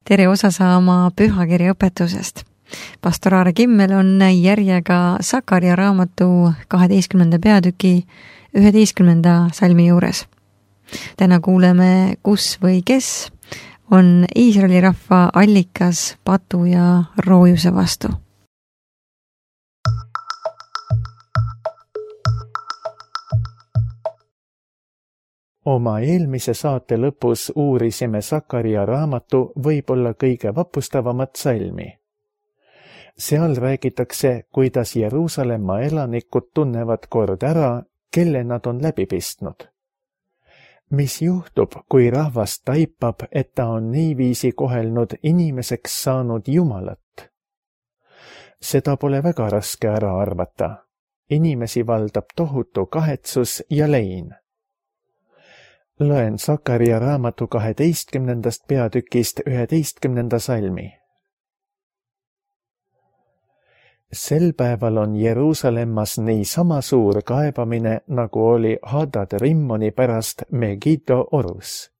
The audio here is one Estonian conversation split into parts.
tere osa saama pühakirja õpetusest. Pastor Aare Kimmel on järjega Sakaria raamatu 12. peatüki 11. salmi juures. Täna kuuleme, kus või kes on Iisraeli rahva allikas patu ja roojuse vastu. Oma eelmise saate lõpus uurisime Sakaria raamatu võib-olla kõige vapustavamat salmi. Seal räägitakse, kuidas Jeruusalemma elanikud tunnevad kord ära, kelle nad on läbi pistnud. Mis juhtub, kui rahvas taipab, et ta on niiviisi kohelnud inimeseks saanud Jumalat? Seda pole väga raske ära arvata. Inimesi valdab tohutu kahetsus ja lein. Loen Sakaria raamatu 12. peatükist 11. salmi. Sel päeval on Jeruusalemmas nii sama suur kaebamine, nagu oli Hadad Rimmoni pärast Megiddo orus.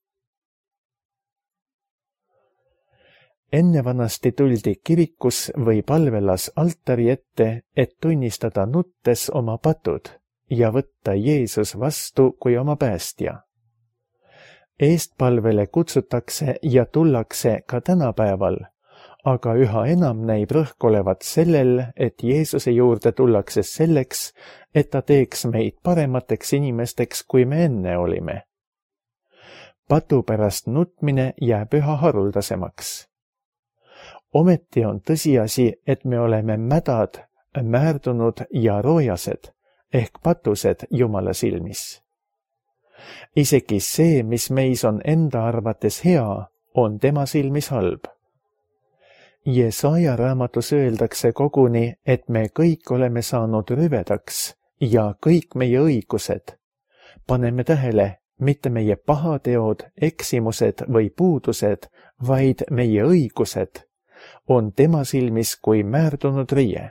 Ennevanasti tuldi kirikus või palvelas altari ette, et tunnistada nuttes oma patud ja võtta Jeesus vastu kui oma päästja. Eestpalvele kutsutakse ja tullakse ka tänapäeval, aga üha enam näib rõhk olevat sellel, et Jeesuse juurde tullakse selleks, et ta teeks meid paremateks inimesteks, kui me enne olime. Patu pärast nutmine jääb üha haruldasemaks. Ometi on tõsiasi, et me oleme mädad, määrdunud ja roojased ehk patused Jumala silmis. Isegi see, mis meis on enda arvates hea, on tema silmis halb. Jesaja raamatus öeldakse koguni, et me kõik oleme saanud rüvedaks ja kõik meie õigused. Paneme tähele, mitte meie pahateod, eksimused või puudused, vaid meie õigused on tema silmis kui määrdunud riie.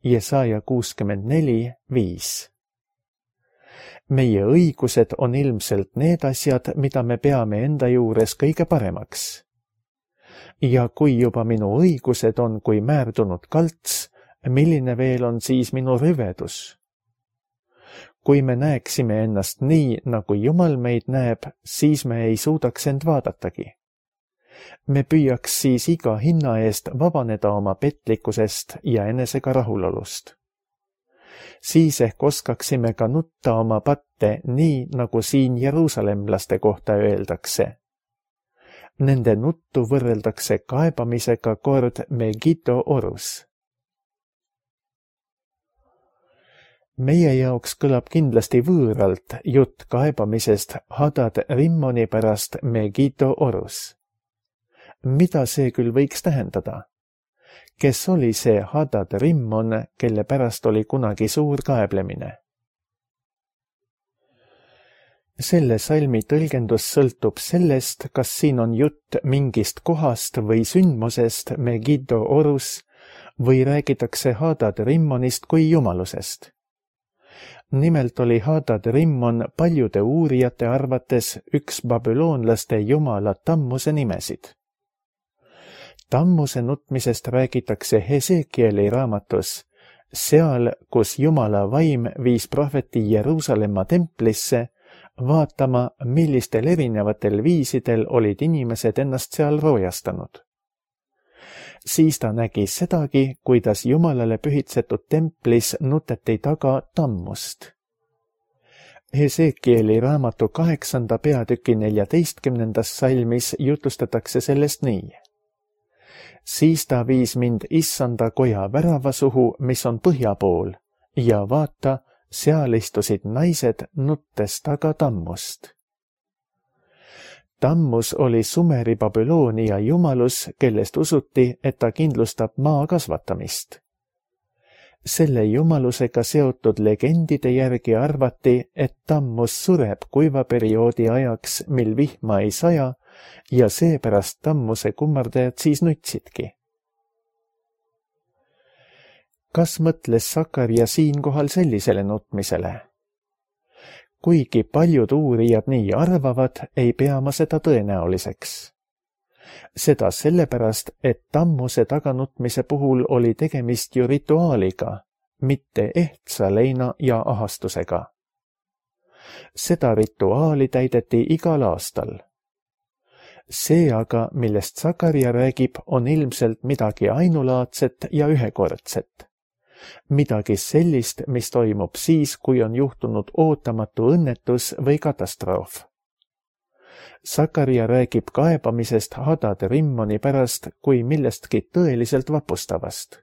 Jesaja 64:5. Meie õigused on ilmselt need asjad, mida me peame enda juures kõige paremaks. Ja kui juba minu õigused on kui määrdunud kalts, milline veel on siis minu rüvedus? Kui me näeksime ennast nii, nagu Jumal meid näeb, siis me ei suudaks end vaadatagi. Me püüaks siis iga hinna eest vabaneda oma petlikkusest ja enesega rahulolust. Siis ehk oskaksime ka nutta oma patte nii, nagu siin jeruusalemlaste kohta öeldakse. Nende nuttu võrreldakse kaebamisega kord Megiddo orus. Meie jaoks kõlab kindlasti võõralt jutt kaebamisest Hadad Rimmoni pärast Megiddo orus. Mida see küll võiks tähendada? Kes oli see Hadad Rimmon, kelle pärast oli kunagi suur kaeblemine? Selle salmi tõlgendus sõltub sellest, kas siin on jutt mingist kohast või sündmusest Megiddo orus või räägitakse Hadad Rimmonist kui jumalusest. Nimelt oli Hadad Rimmon paljude uurijate arvates üks babüloonlaste jumala Tammuse nimesid. Tammuse nutmisest räägitakse Hesekieli raamatus, seal, kus Jumala vaim viis prohveti Jeruusalemma templisse, vaatama, millistel erinevatel viisidel olid inimesed ennast seal roojastanud. Siis ta nägi sedagi, kuidas Jumalale pühitsetud templis nuteti taga Tammust. Hesekieli raamatu 8. peatüki 14. salmis jutlustatakse sellest nii. Siis ta viis mind issanda koja värava suhu, mis on põhja pool, ja vaata, seal istusid naised nuttes taga Tammust. Tammus oli Sumeri Babyloonia jumalus, kellest usuti, et ta kindlustab maa kasvatamist. Selle jumalusega seotud legendide järgi arvati, et Tammus sureb kuivaperioodi ajaks, mil vihma ei saja, ja seepärast Tammuse kummardajad siis nutsidki. Kas mõtles Sakaria siinkohal sellisele nutmisele? Kuigi paljud uurijad nii arvavad, ei pea ma seda tõenäoliseks. Seda sellepärast, et tammuse taganutmise puhul oli tegemist ju rituaaliga, mitte ehtsa leina ja ahastusega. Seda rituaali täideti igal aastal. See aga, millest Sakaria räägib, on ilmselt midagi ainulaadset ja ühekordset. Midagi sellist, mis toimub siis, kui on juhtunud ootamatu õnnetus või katastroof. Sakaria räägib kaebamisest Hadad Rimmoni pärast kui millestki tõeliselt vapustavast.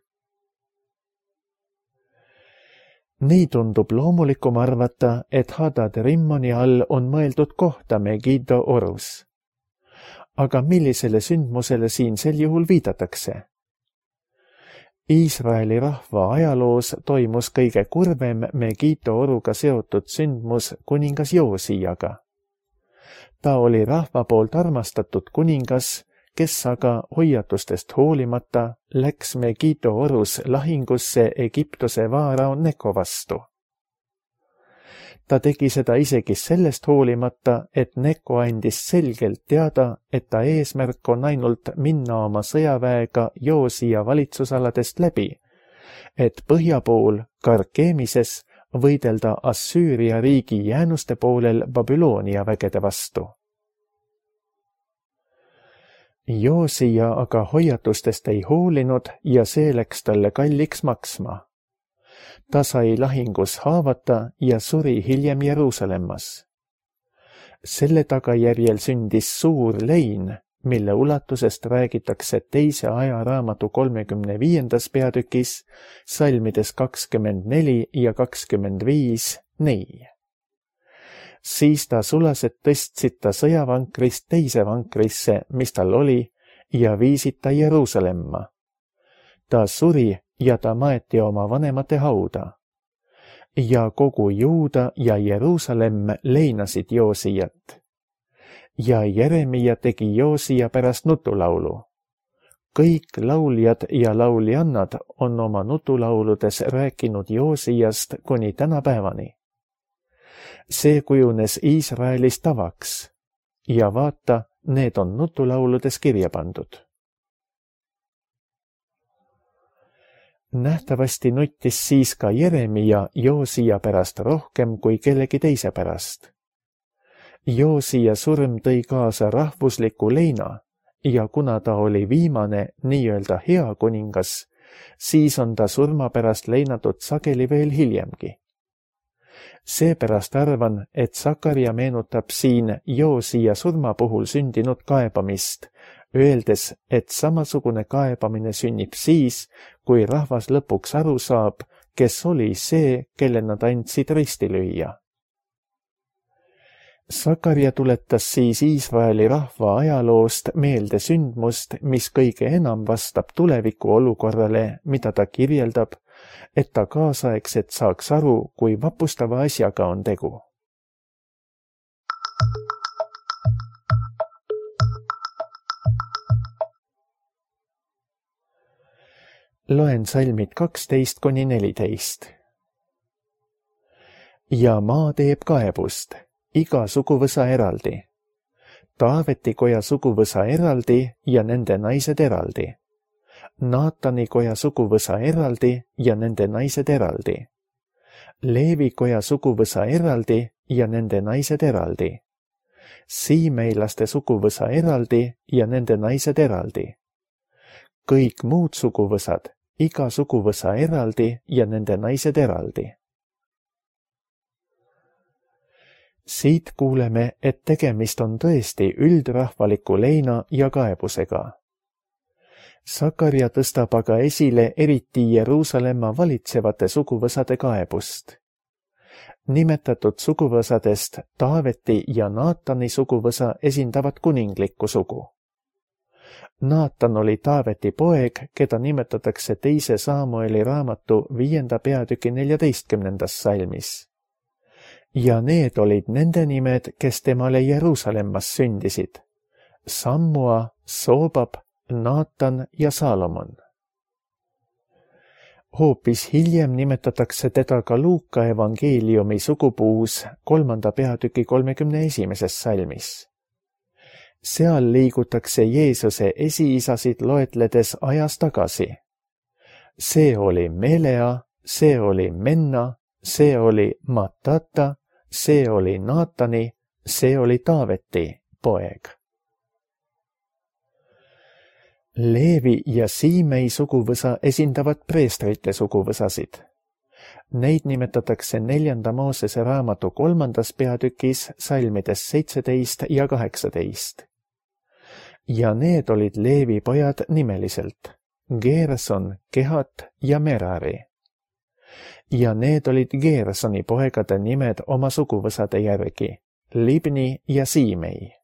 Nii tundub loomulikum arvata, et Hadad Rimmoni all on mõeldud kohta Megiddo orus. Aga millisele sündmusele siin sel juhul viidatakse? Iisraeli rahva ajaloos toimus kõige kurvem Megiddo oruga seotud sündmus kuningas Joosiaga. Ta oli rahva poolt armastatud kuningas, kes aga hoiatustest hoolimata läks Megiddo orus lahingusse Egiptuse vaarao Neko vastu. Ta tegi seda isegi sellest hoolimata, et Neko andis selgelt teada, et ta eesmärk on ainult minna oma sõjaväega Joosia valitsusaladest läbi, et põhja pool Karkemises võidelda Assüüria riigi jäänuste poolel Babyloonia vägede vastu. Joosia aga hoiatustest ei hoolinud ja see läks talle kalliks maksma. Ta sai lahingus haavata ja suri hiljem Jeruusalemmas. Selle tagajärjel sündis suur lein, mille ulatusest räägitakse teise ajaraamatu 35. peatükis, salmides 24 ja 25 nii. Siis ta sulased tõstsid ta sõjavankrist teise vankrisse, mis tal oli, ja viisid ta Jeruusalemma. Ta suri ja ta maeti oma vanemate hauda. Ja kogu Juuda ja Jeruusalemm leinasid Joosijat. Ja Jeremia tegi Joosia pärast nutulaulu. Kõik lauljad ja lauljannad on oma nutulauludes rääkinud Joosijast kuni tänapäevani. See kujunes Iisraelis tavaks ja vaata, need on nutulauludes kirja pandud. Nähtavasti nuttis siis ka Jeremia Joosia pärast rohkem kui kellegi teise pärast. Joosia surm tõi kaasa rahvusliku leina ja kuna ta oli viimane nii-öelda hea kuningas, siis on ta surma pärast leinatud sageli veel hiljemgi. Seepärast arvan, et Sakaria meenutab siin Joosia surma puhul sündinud kaebamist, öeldes, et samasugune kaebamine sünnib siis, kui rahvas lõpuks aru saab, kes oli see, kelle nad andsid risti lüüa. Sakaria tuletas siis Iisraeli rahva ajaloost meelde sündmust, mis kõige enam vastab tuleviku olukorrale, mida ta kirjeldab, et ta kaasaegselt saaks aru, kui vapustava asjaga on tegu. Loen salmid 12–14. Ja maa teeb kaebust, iga suguvõsa eraldi. Taaveti koja suguvõsa eraldi ja nende naised eraldi. Naatani koja suguvõsa eraldi ja nende naised eraldi. Leevi koja suguvõsa eraldi ja nende naised eraldi. Siimeilaste suguvõsa eraldi ja nende naised eraldi. Kõik muud suguvõsad, iga suguvõsa eraldi ja nende naised eraldi. Siit kuuleme, et tegemist on tõesti üldrahvaliku leina ja kaebusega. Sakaria tõstab aga esile eriti Jeruusalemma valitsevate suguvõsade kaebust. Nimetatud suguvõsadest Taaveti ja Naatani suguvõsa esindavad kuninglikku sugu. Naatan oli Taaveti poeg, keda nimetatakse teise Saamueli raamatu 5. peatüki 14. salmis. Ja need olid nende nimed, kes temale Jeruusalemmas sündisid. Sammua, Soobab, Naatan ja Saalomon. Hoopis hiljem nimetatakse teda ka Luuka evangeeliumi sugupuus 3. peatüki 31. salmis. seal liigutakse Jeesuse esiisasid loetledes ajas tagasi. See oli Melea, see oli Menna, see oli Matata, see oli Naatani, see oli Taaveti poeg. Leevi ja Siimei suguvõsa esindavad preestrite suguvõsasid. Neid nimetatakse 4. Moosese raamatu 3. peatükis salmides 17 ja 18. Ja need olid Leevi pojad nimeliselt, Geerson, Kehat ja Merari. Ja need olid Geersoni poegade nimed oma suguvõsade järgi, Libni ja Siimei.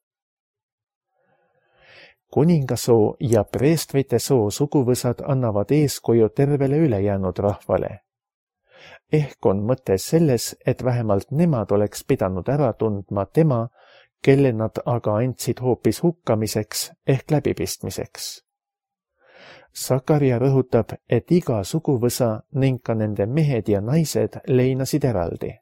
Kuningasoo ja preestrite soo suguvõsad annavad eeskuju tervele ülejäänud rahvale. Ehk on mõte selles, et vähemalt nemad oleks pidanud ära tundma tema, kelle nad aga andsid hoopis hukkamiseks ehk läbipistmiseks. Sakaria rõhutab, et iga suguvõsa ning ka nende mehed ja naised leinasid eraldi.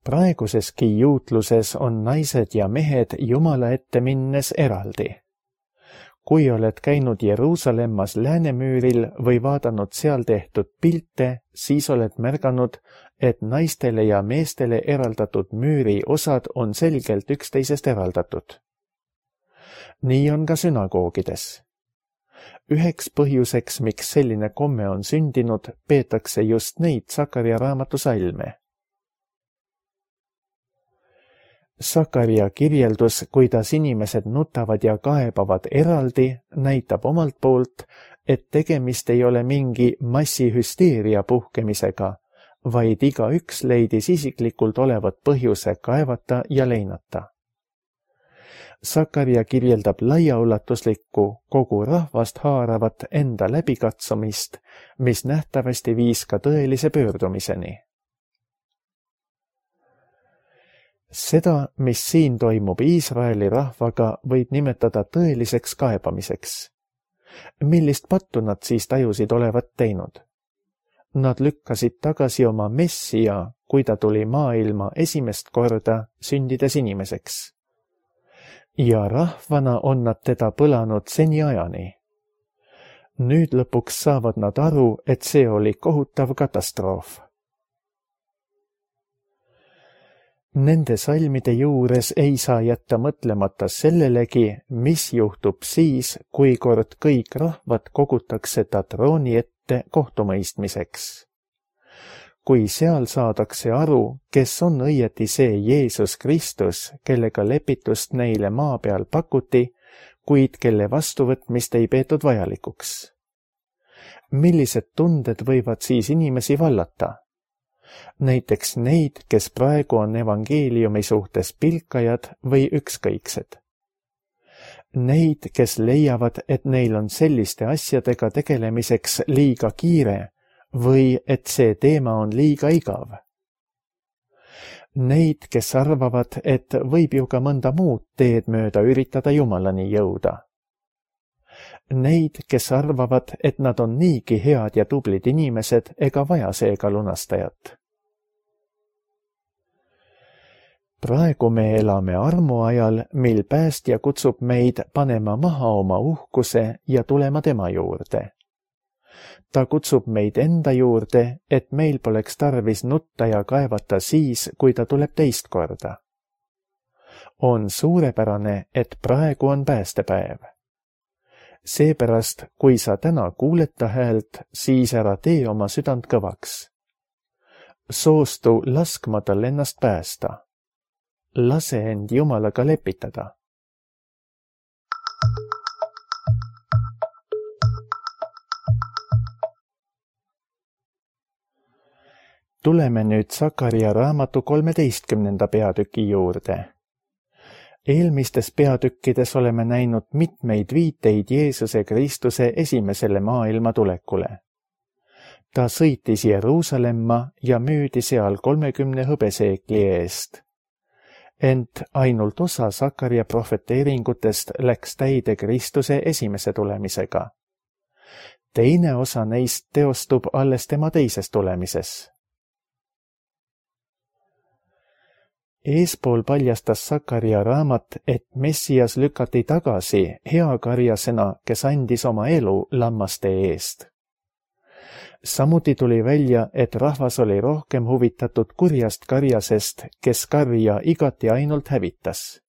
Praeguseski juutluses on naised ja mehed Jumala ette minnes eraldi. Kui oled käinud Jeruusalemmas Läänemüüril või vaadanud seal tehtud pilte, siis oled märganud, et naistele ja meestele eraldatud müüri osad on selgelt üksteisest eraldatud. Nii on ka sünagoogides. Üheks põhjuseks, miks selline komme on sündinud, peetakse just neid Sakaria raamatu salme. Sakaria kirjeldus, kuidas inimesed nutavad ja kaebavad eraldi, näitab omalt poolt, et tegemist ei ole mingi massihüsteeria puhkemisega, vaid igaüks leidis isiklikult olevat põhjuse kaevata ja leinata. Sakaria kirjeldab laiaulatuslikku, kogu rahvast haaravat enda läbikatsumist, mis nähtavasti viis ka tõelise pöördumiseni. Seda, mis siin toimub Iisraeli rahvaga, võib nimetada tõeliseks kaebamiseks. Millist pattu nad siis tajusid olevat teinud? Nad lükkasid tagasi oma Messia, kui ta tuli maailma esimest korda sündides inimeseks. Ja rahvana on nad teda põlanud seniajani. Nüüd lõpuks saavad nad aru, et see oli kohutav katastroof. Nende salmide juures ei saa jätta mõtlemata sellelegi, mis juhtub siis, kui kord kõik rahvad kogutakse ta trooni ette kohtumõistmiseks. Kui seal saadakse aru, kes on õieti see Jeesus Kristus, kellega lepitust neile maa peal pakuti, kuid kelle vastuvõtmist ei peetud vajalikuks. Millised tunded võivad siis inimesi vallata? Näiteks neid, kes praegu on evangeeliumi suhtes pilkajad või ükskõiksed. Neid, kes leiavad, et neil on selliste asjadega tegelemiseks liiga kiire või et see teema on liiga igav. Neid, kes arvavad, et võib ju ka mõnda muud teed mööda üritada Jumalani jõuda. Neid, kes arvavad, et nad on niigi head ja tublid inimesed ega vaja seega lunastajat. Praegu me elame armuajal, mil päästja kutsub meid panema maha oma uhkuse ja tulema tema juurde. Ta kutsub meid enda juurde, et meil poleks tarvis nutta ja kaevata siis, kui ta tuleb teist korda. On suurepärane, et praegu on päästepäev. Seepärast, kui sa täna kuuled ta häält, siis ära tee oma südant kõvaks. Soostu laskma tal ennast päästa. Lase end Jumalaga lepitada. Tuleme nüüd Sakaria raamatu 13. peatüki juurde. Eelmistes peatükkides oleme näinud mitmeid viiteid Jeesuse Kristuse esimesele maailma tulekule. Ta sõitis Jeruusalemma ja müüdi seal 30 hõbeseekli eest. Ent ainult osa Sakaria prohveteeringutest läks täide Kristuse esimese tulemisega. Teine osa neist teostub alles tema teises tulemises. Eespool paljastas Sakaria raamat, et Messias lükati tagasi heakarjasena, kes andis oma elu lammaste eest. Samuti tuli välja, et rahvas oli rohkem huvitatud kurjast karjasest, kes karja igati ainult hävitas.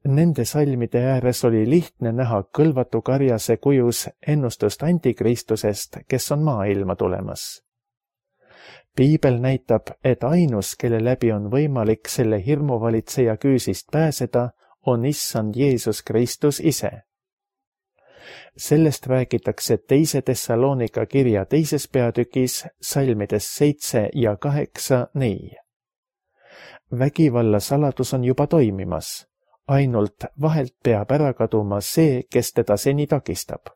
Nende salmide ääres oli lihtne näha kõlvatu karjase kujus ennustust antikristusest, kes on maailma tulemas. Piibel näitab, et ainus, kelle läbi on võimalik selle hirmuvalitseja küüsist pääseda, on issand Jeesus Kristus ise. Sellest räägitakse 2. Thessalonika kirja 2. peatükis salmides 7 ja 8 nii. Vägivalla saladus on juba toimimas, ainult vahelt peab ära kaduma see, kes teda seni takistab.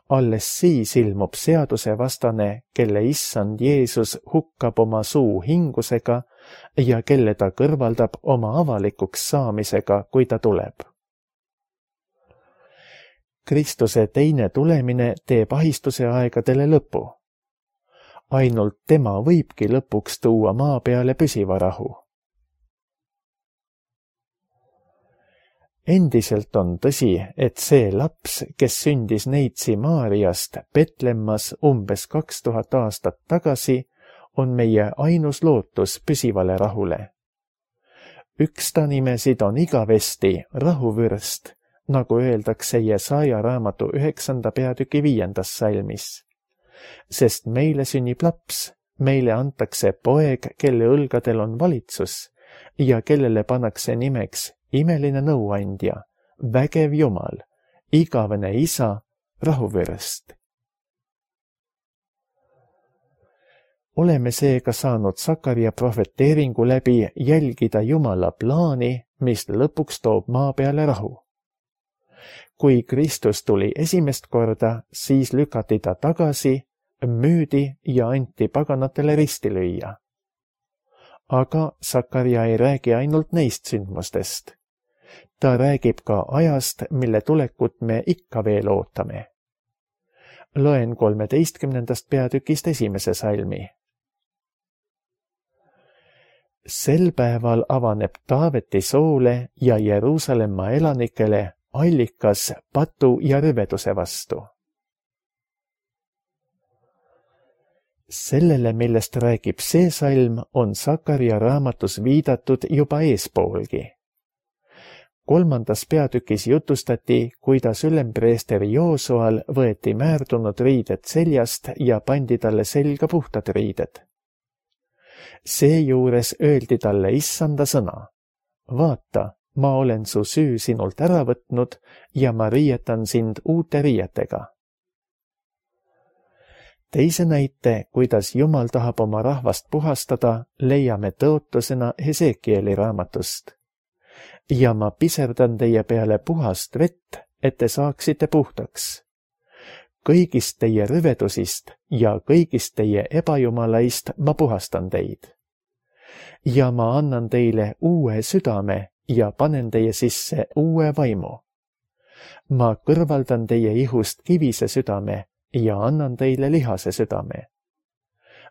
Alles siis ilmub seadusevastane, kelle issand Jeesus hukkab oma suu hingusega ja kelle ta kõrvaldab oma avalikuks saamisega, kui ta tuleb. Kristuse teine tulemine teeb ahistuse aegadele lõpu. Ainult tema võibki lõpuks tuua maa peale püsiva rahu. Endiselt on tõsi, et see laps, kes sündis neitsi Maariast Betlemmas umbes 2000 aastat tagasi, on meie ainus lootus püsivale rahule. Üks ta nimesid on igavesti rahuvürst, nagu öeldakse Jesaja raamatu 9. peatüki 5. salmis. Sest meile sünnib laps, meile antakse poeg, kelle õlgadel on valitsus ja kellele pannakse nimeks imeline nõuandja, vägev Jumal, igavene isa, rahuvürst. Oleme seega saanud Sakaria prohveteeringu läbi jälgida Jumala plaani, mis lõpuks toob maa peale rahu. Kui Kristus tuli esimest korda, siis lükati ta tagasi, müüdi ja anti paganatele risti lüüa. Aga Sakaria ei räägi ainult neist sündmustest. Ta räägib ka ajast, mille tulekut me ikka veel ootame. Loen 13. peatükist 1. salmi. Sel päeval avaneb Taaveti soole ja Jeruusalemma elanikele allikas patu ja rüveduse vastu. Sellele, millest räägib see salm, on Sakaria raamatus viidatud juba eespoolgi. 3. peatükis jutustati, kuidas ülempreesteri Joosual võeti määrdunud riided seljast ja pandi talle selga puhtad riided. Seejuures öeldi talle issanda sõna. Vaata, ma olen su süü sinult ära võtnud ja ma riietan sind uute riietega. Teise näite, kuidas Jumal tahab oma rahvast puhastada, leiame tõotusena Hesekieli raamatust. Ja ma piserdan teie peale puhast vett, et te saaksite puhtaks. Kõigist teie rüvedusist ja kõigist teie ebajumalaist ma puhastan teid. Ja ma annan teile uue südame ja panen teie sisse uue vaimu. Ma kõrvaldan teie ihust kivise südame ja annan teile lihase südame.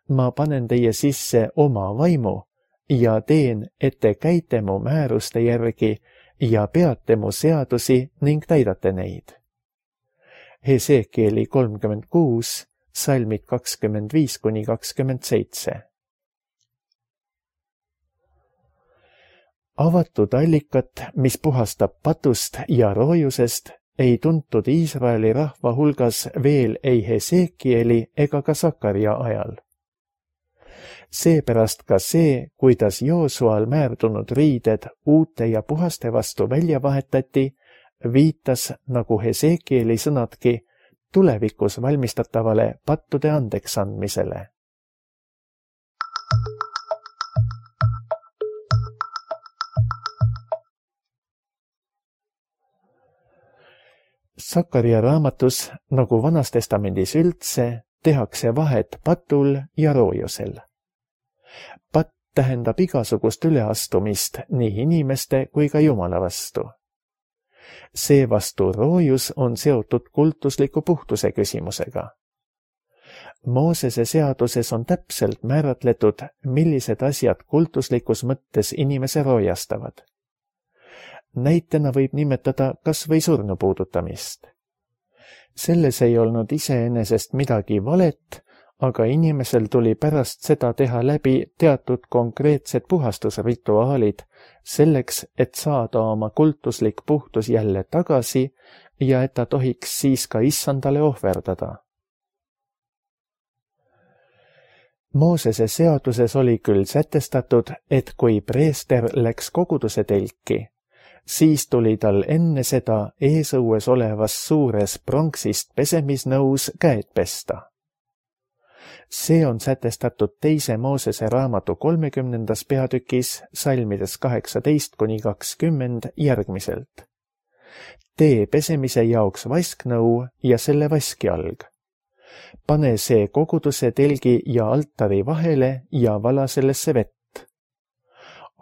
Ma panen teie sisse oma vaimu ja teen, et te käite mu määruste järgi ja peate mu seadusi ning täidate neid. Hesekieli 36, salmid 25-27. Avatud allikat, mis puhastab patust ja roojusest, ei tuntud Iisraeli rahva hulgas veel ei Hesekieli ega ka Sakaria ajal. Seepärast ka see, kuidas Joosual määrdunud riided uute ja puhaste vastu välja vahetati, viitas, nagu Hesekieli sõnadki, tulevikus valmistatavale pattude andeks andmisele. Sakaria raamatus, nagu Vanas Testamendis üldse, tehakse vahet patul ja roojusel. Patt tähendab igasugust üleastumist nii inimeste kui ka Jumala vastu. Seevastu roojus on seotud kultusliku puhtuse küsimusega. Moosese seaduses on täpselt määratletud, millised asjad kultuslikus mõttes inimese roojastavad. Näitena võib nimetada kas või surnu puudutamist. Selles ei olnud iseenesest midagi valet, aga inimesel tuli pärast seda teha läbi teatud konkreetsed puhastusrituaalid, selleks, et saada oma kultuslik puhtus jälle tagasi ja et ta tohiks siis ka issandale ohverdada. Moosese seaduses oli küll sätestatud, et kui preester läks koguduse telki, siis tuli tal enne seda eesõues olevas suures pronksist pesemisnõus käed pesta. See on sätestatud 2. Moosese raamatu 30. peatükis salmides 18-20 järgmiselt. Tee pesemise jaoks vasknõu ja selle vaskjalg. Pane see koguduse telgi ja altari vahele ja vala sellesse vett.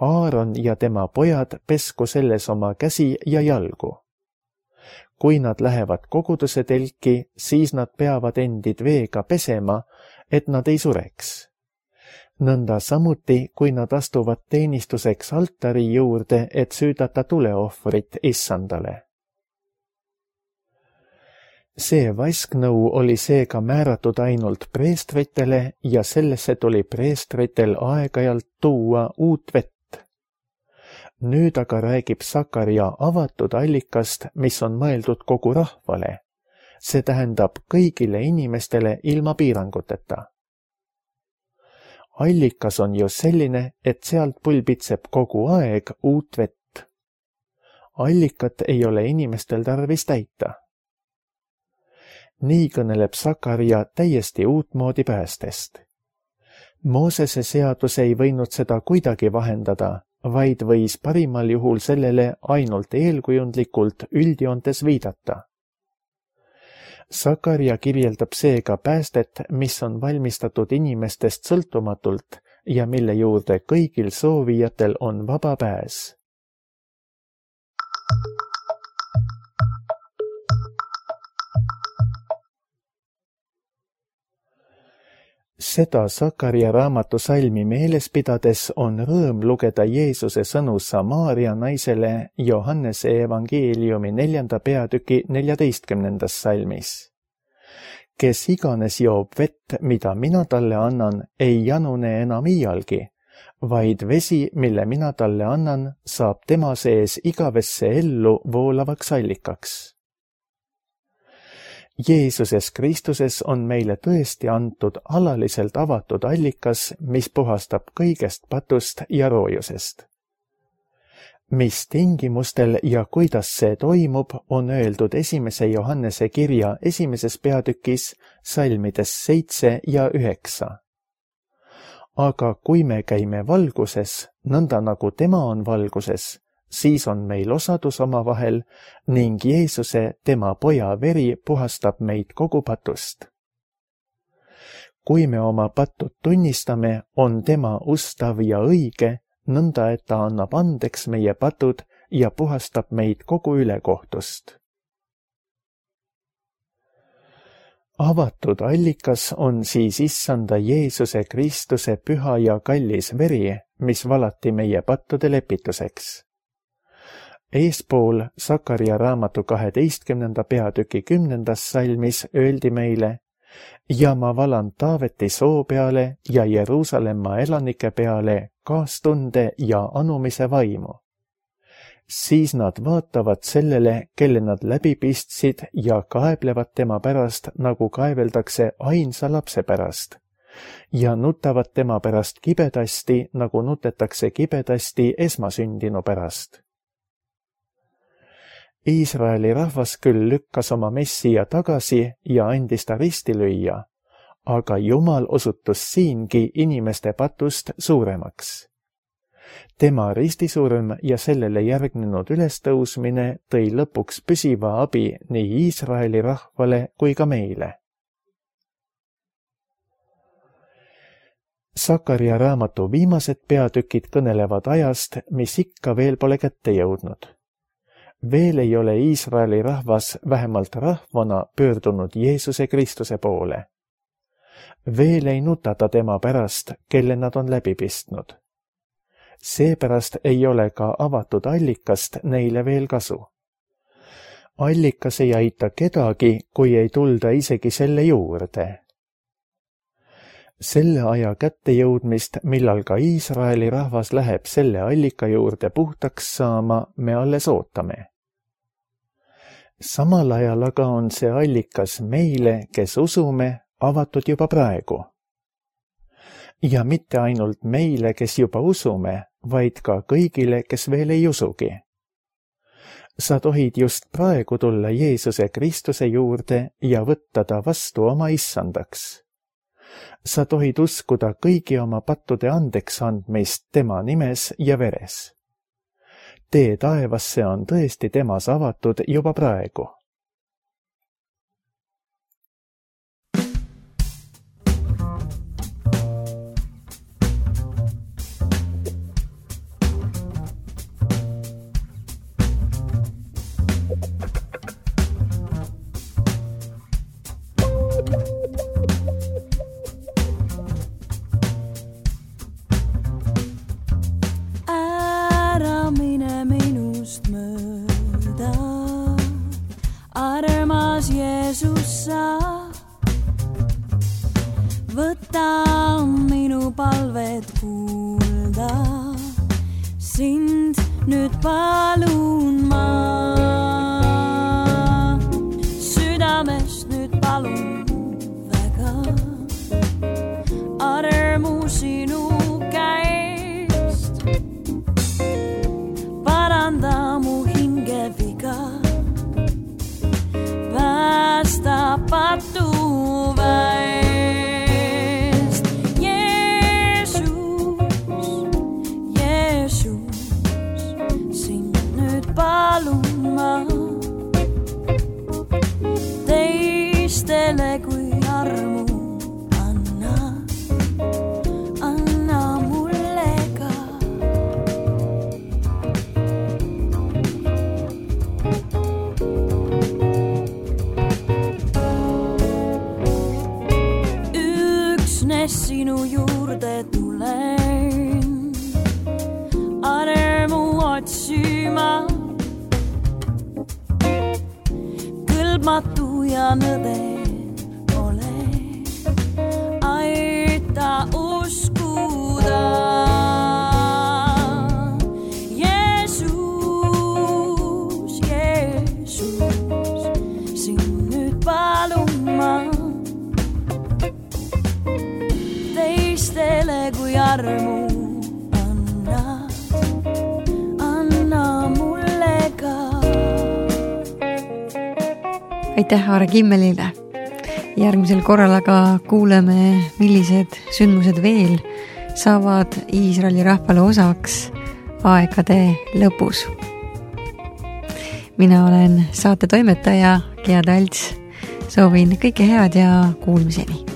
Aaron ja tema pojad pesku selles oma käsi ja jalgu. Kui nad lähevad koguduse telki, siis nad peavad endid veega pesema, et nad ei sureks. Nõnda samuti, kui nad astuvad teenistuseks altari juurde, et süüdata tuleohvrit issandale. See vasknõu oli seega määratud ainult preestritele ja sellesse tuli preestritel aeg-ajalt tuua uut vett. Nüüd aga räägib Sakaria avatud allikast, mis on mõeldud kogu rahvale. See tähendab kõigile inimestele ilma piiranguteta. Allikas on ju selline, et sealt pulbitseb kogu aeg uut vett. Allikat ei ole inimestel tarvis täita. Nii kõneleb Sakaria täiesti uutmoodi päästest. Moosese seadus ei võinud seda kuidagi vahendada, vaid võis parimal juhul sellele ainult eelkujundlikult üldjoontes viidata. Sakaria kirjeldab seega päästet, mis on valmistatud inimestest sõltumatult ja mille juurde kõigil soovijatel on vaba pääs. Seda Sakaria raamatu salmi meeles pidades on rõõm lugeda Jeesuse sõnu Samaaria naisele Johannese evangeeliumi 4. peatüki 14. salmis. Kes iganes joob vett, mida mina talle annan, ei janune enam iialgi, vaid vesi, mille mina talle annan, saab tema sees igavesse ellu voolavaks allikaks. Jeesuses Kristuses on meile tõesti antud alaliselt avatud allikas, mis puhastab kõigest patust ja roojusest. Mis tingimustel ja kuidas see toimub, on öeldud 1. Johannese kirja 1. peatükis salmides 7 ja 9. Aga kui me käime valguses, nõnda nagu tema on valguses, siis on meil osadus omavahel ning Jeesuse, tema poja veri puhastab meid kogu patust. Kui me oma pattud tunnistame, on tema ustav ja õige, nõnda et ta annab andeks meie patud ja puhastab meid kogu ülekohtust. Avatud allikas on siis issanda Jeesuse Kristuse püha ja kallis veri, mis valati meie pattude lepituseks. Eespool Sakaria raamatu 12. peatüki 10. salmis öeldi meile: ja ma valan Taaveti soo peale ja Jeruusalemma elanike peale kaastunde ja anumise vaimu. Siis nad vaatavad sellele, kelle nad läbi pistsid ja kaeblevad tema pärast, nagu kaeveldakse ainsa lapse pärast, ja nutavad tema pärast kibedasti, nagu nutetakse kibedasti esmasündinu pärast. Iisraeli rahvas küll lükkas oma Messija tagasi ja andis ta risti lüüa, aga Jumal osutus siingi inimeste patust suuremaks. Tema ristisurm ja sellele järgnenud ülestõusmine tõi lõpuks püsiva abi nii Iisraeli rahvale kui ka meile. Sakaria raamatu viimased peatükid kõnelevad ajast, mis ikka veel pole kätte jõudnud. Veel ei ole Iisraeli rahvas vähemalt rahvana pöördunud Jeesuse Kristuse poole. veel ei nutata tema pärast, kelle nad on läbi pistnud. Seepärast ei ole ka avatud allikast neile veel kasu. Allikas ei aita kedagi, kui ei tulda isegi selle juurde. Selle aja kättejõudmist, millal ka Iisraeli rahvas läheb selle allika juurde puhtaks saama, me alles ootame. Samal ajal aga on see allikas meile, kes usume, avatud juba praegu. Ja mitte ainult meile, kes juba usume, vaid ka kõigile, kes veel ei usugi. Sa tohid just praegu tulla Jeesuse Kristuse juurde ja võtta ta vastu oma issandaks. Sa tohid uskuda kõigi oma pattude andeks andmist tema nimes ja veres. Tee taevasse on tõesti temas avatud juba praegu. Võta minu palved kuulda, sind nüüd palun ma. Südamest nüüd palun väga, armu sinu käest. Paranda mu hingeviga, päästa patu väest. Teistele kui armu anna mulle ka. Üksnes sinu juurde tulen, armu otsima. Kõlbmatu ja nõde ole, aita uskuda. Jeesus, Jeesus, sind nüüd palun ma. Teistele kui armu anna mulle ka. Aitäh Aare Kimmelile. Järgmisel korral aga kuuleme, millised sündmused veel saavad Iisraeli rahvale osaks aegade lõpus. Mina olen saate toimetaja Gea Talts. Soovin kõike head ja kuulmiseni.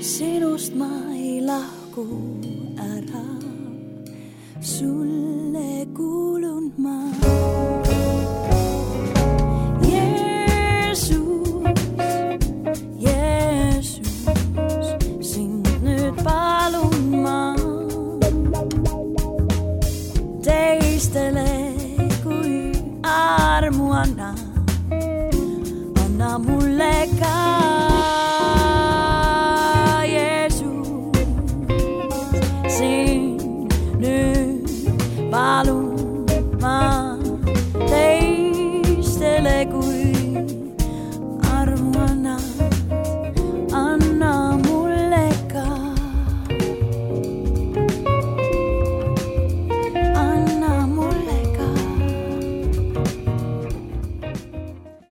Sinust ma ei lahku ära, sulle kuulun ma.